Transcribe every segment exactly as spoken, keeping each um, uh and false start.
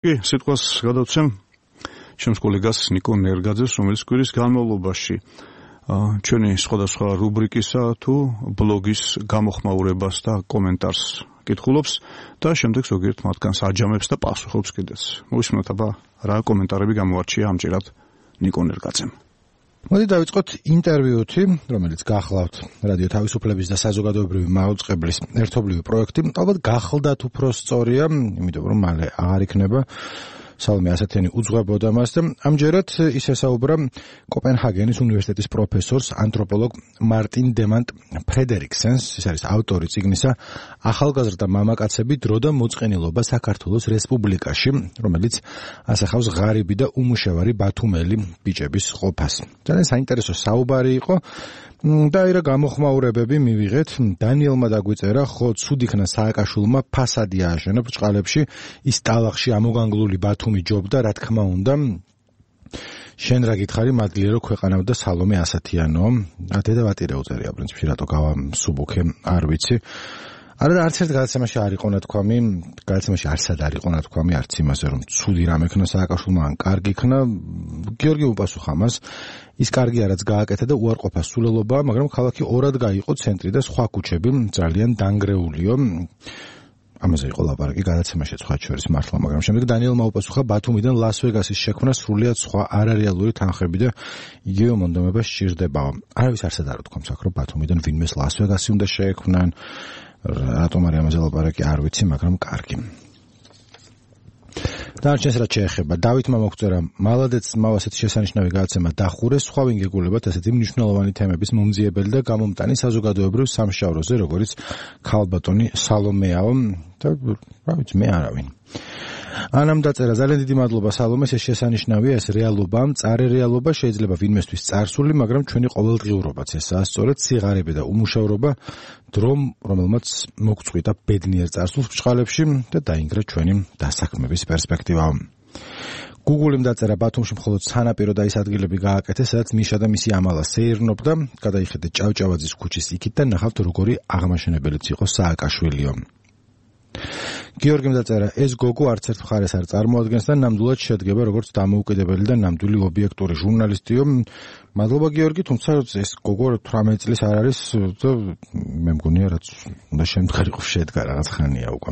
კი, სიტყვას გადავცემ ჩემს კოლეგას ნიკო ნერგაძეს, რომელიც კვირის განმავლობაში ჩვენი სხვადასხვა რუბრიკისა თუ ბლოგის გამოხმაურებას და კომენტარს კითხულობს და შემდეგ ზოგიერთ მათგანს აჯამებს და პასუხობს კიდეც. მოვისმინოთ აბა რა კომენტარები გამოარჩია ამჯერად ნიკო ნერგაძემ. მოდი დავიწყოთ ინტერვიუთი, რომელიც გახლავთ რადიო თავისუფლების და საზოგადოებრივი მაუწყებლის ერთობლივი პროექტი. ალბათ გახლდათ უფრო სწორია, იმიტომ რომ მალე აღარ იქნება სალომე ასათიანი უძღვებოდა მას და ამჯერად ის ესაუბრა კოპენჰაგენის უნივერსიტეტის პროფესორს, ანთროპოლოგ მარტინ დემანტ ფრედერიკსენს, ის არის ავტორი წიგნისა ახალგაზრდა მამაკაცები დრო და მოწყენილობა საქართველოს რესპუბლიკაში, რომელიც ასახავს ღარიბი და უმუშევარი ბათუმელი ბიჭების ყოფას. ძალიან საინტერესო საუბარი იყო. და ირა გამოხმაურებები მივიღეთ. დანიელმა დაგვიწერა, ხო, ცუდ იქნა სააკაშვილმა ფასადი ააშენა ბრჭყალებში, ის ტალახში ამოგანგლული ბათუმი ჯობდა, რა თქმა უნდა. შენ რა გითხარი, მადლია რომ ქვეყანავდა სალომე ასათიანო. ათედა ვატირე უწერია პრინციპში, რატო გავამსუბუქე, არ ვიცი. არა და არც ერთ გადაცემაში არ იყო ნათქვამი, გადაცემაში არსად არ იყო ნათქვამი, არც იმაზე რომ ცუდი რამ ექნა სააკაშვილმა, ან კარგი იქნა. გიორგი უპასუხა მას, ის კარგია რაც გააკეთა და უარყოფა სულელობაა, მაგრამ ქალაქი ორად გაიყო ცენტრი და სხვა ქუჩები ძალიან დანგრეულიო. ამაზე იყო ლაპარაკი გადაცემაში სხვა შორის მართლა, მაგრამ შემდეგ დანიელმა უპასუხა, ბათუმიდან ლას-ვეგასის შექმნა სრულიად სხვა არარეალური თანხები და იგივე მონდომება სჭირდებაო. არავის არსად არ უთქვამს აქ, რომ ბათუმიდან ვინმეს ლას-ვეგასი უნდა შეექმნან. რატომ არის ამაზე ლაპარაკი, არ ვიცი, მაგრამ კარგი. დანარჩენს რაც შეეხება, დავითმა მოგწერა, მალადეც მავასეთ შესანიშნავი გადაცემა დახურეს, სხვა ვინ გეგულებათ ესეთი მნიშვნელოვანი თემების მომძიებელი და გამომტანი საზოგადოებრივ სამშაბლოზე, როგორც ქალბატონი სალომეაო და რა ვიცი, მე არავინ. ანამ დაწერა, ძალიან დიდი მადლობა სალომეს, ეს შესანიშნავია, ეს რეალობა, მწარე რეალობა შეიძლება ვინმესთვის წარსული, მაგრამ ჩვენი ყოველდღიურობაც ესაა, სწორედ სიღარიბე და უმუშევრობა, დრომ, რომელმაც მოგწყვიტა ბედნიერ წარსულს ბრჭყალებში და დაინგრა ჩვენი დასაქმების პერსპექტივაა. გუგულიმ დაწერა, ბათუმში მხოლოდ სანაპირო და ის ადგილები გააკეთეს, სადაც მიშა და მისი ამალა სეირნობდა, გადაიხედეთ ჭავჭავაძის ქუჩის იქით და ნახავთ როგორი აღმაშენებელიც იყო სააკაშვილიო. გიორგიმ დაწერა, ეს გოგო არც ერთ მხარეს არ წარმოადგენს და ნამდვილად შედგება როგორც დამოუკიდებელი და ნამდვილი ობიექტური ჟურნალისტიო. მადლობა გიორგი, თუმცა ეს გოგო თვრამეტ წლის არ არის და მე მგონია რაც უნდა შემდგარიყო შედგა რაღაც ხანია უკვე.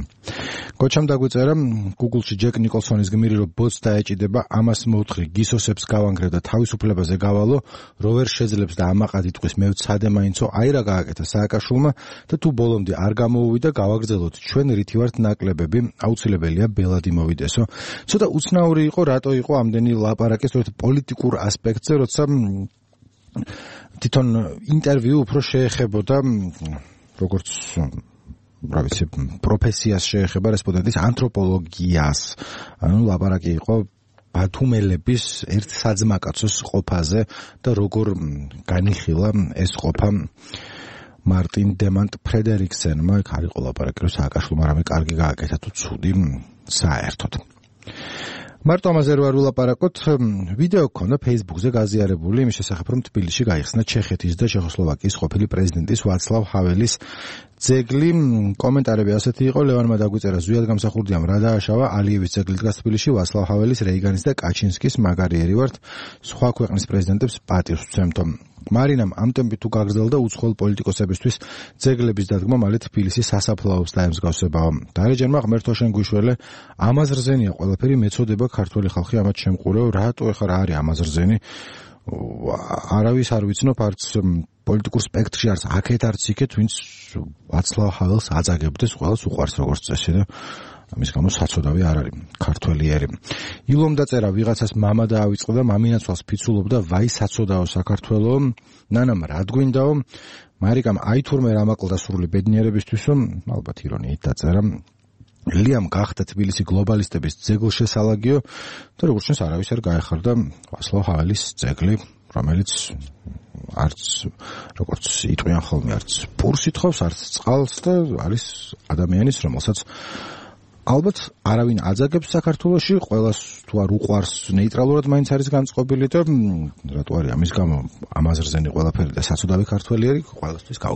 გოჩამ დაგვიწერა, Google-ში ჯეკ ნიკოლსონის გმირი რომ ბოც დაეჭიდება, ამას მოუთხრი გისოსებს გავანგრევ და თავისუფლებაზე გავალო, რო ვერ შეძლებს და ამაყად იტყვის მე ვცადე მაინცო, აი რა გააკეთა სააკაშვილმა და თუ ბოლომდე არ გამოუვიდა, გავაგრძელოთ ჩვენ რითი ვართ ნაკლებები, აუცილებელია ბელადი მოვიდესო. ცოტა უცნაური იყო, რატო იყო ამდენი ლაპარაკი სწორედ პოლიტიკურ ასპექტზე, როცა თვითონ ინტერვიუ უფრო შეეხებოდა როგორც რა ვიცი პროფესიას შეეხება რესპონდენტის ანთროპოლოგიას. ანუ ლაპარაკი იყო ბათუმელების ერთ საძმაკაცოს ყოფაზე და როგორ განიხილა ეს ყოფა მარტინ დემანტ ფრედერიკსენმა. იქ არ იყო ლაპარაკი რომ სააკაშვილმა რამე კარგი გააკეთა თუ ცუდი საერთოდ. მარტო ამაზე რო არ ვილაპარაკოთ, ვიდეო გქონდა Facebook-ზე გაზიარებული იმის შესახებ, რომ თბილისში გაიხსნა ჩეხეთის და ჩეხოსლოვაკიის ყოფილი პრეზიდენტის ვაცლავ ჰაველის ძეგლი. კომენტარები ასეთი იყო, ლევანმა დაგვიწერა, ზვიად გამსახურდიამ რა დააშავა, ალიევის ძეგლი დგას თბილისში, ვაცლავ ჰაველის, რეიგანის და კაჩინსკის მაგარიერი ვართ, სხვა ქვეყნის პრეზიდენტებს პატივს ვცემთო. მარინამ ამ ტემპით თუ გაგრძელდა უცხოელ პოლიტიკოსებისთვის ძეგლების დადგმა მალე თბილისის სასაფლაოს დაემსგავსებაო. დარეჯანმა ღმერთო შენ გვიშველე, ამაზრზენია ყველაფერი, მეწოდება ქართველი ხალხი ამათ შემყურეო, რატო ეხლა რა არის ამაზრზენი? არავის არ ვიცნობ, არც პოლიტიკურ სპექტრში, არც აქეთ, არც იქეთ, ვინც ვაცლავ ჰაველს აწაგებდეს, ყველას უყვარს როგორც წესი და ამის გამო საცოდავი არ არის ქართველიერი. ილომ დაწერა, ვიღაცას მამა დაავიწყდა და მამინაცვალს ფიცულობდა, ვაი საცოდაო საქართველო, ნანამ რა გვინდაო, მარიკამ აი თურმე რა მაკლდა სრული ბედნიერებისთვისო, ალბათ ირონიით დაწერა, ლიამ გახდა თბილისი გლობალისტების ძეგლშესალაგიო და როგორც ჩანს არავის არ გაეხარდა ვაცლავ ჰაველის ძეგლი, რომელიც არც როგორც იტყვიან ხოლმე, არც პურს ითხოვს, არც წყალს და არის ადამიანის, რომელსაც ალბათ არავინ აძაგებს საქართველოში, ყველას თუ არ უყვარს ნეიტრალურად მაინც არის განწყობილი და რატო არის ამის გამო ამაზრზენი ყველაფერი და საცოდავი ქართველიერი ყველასთვის გავ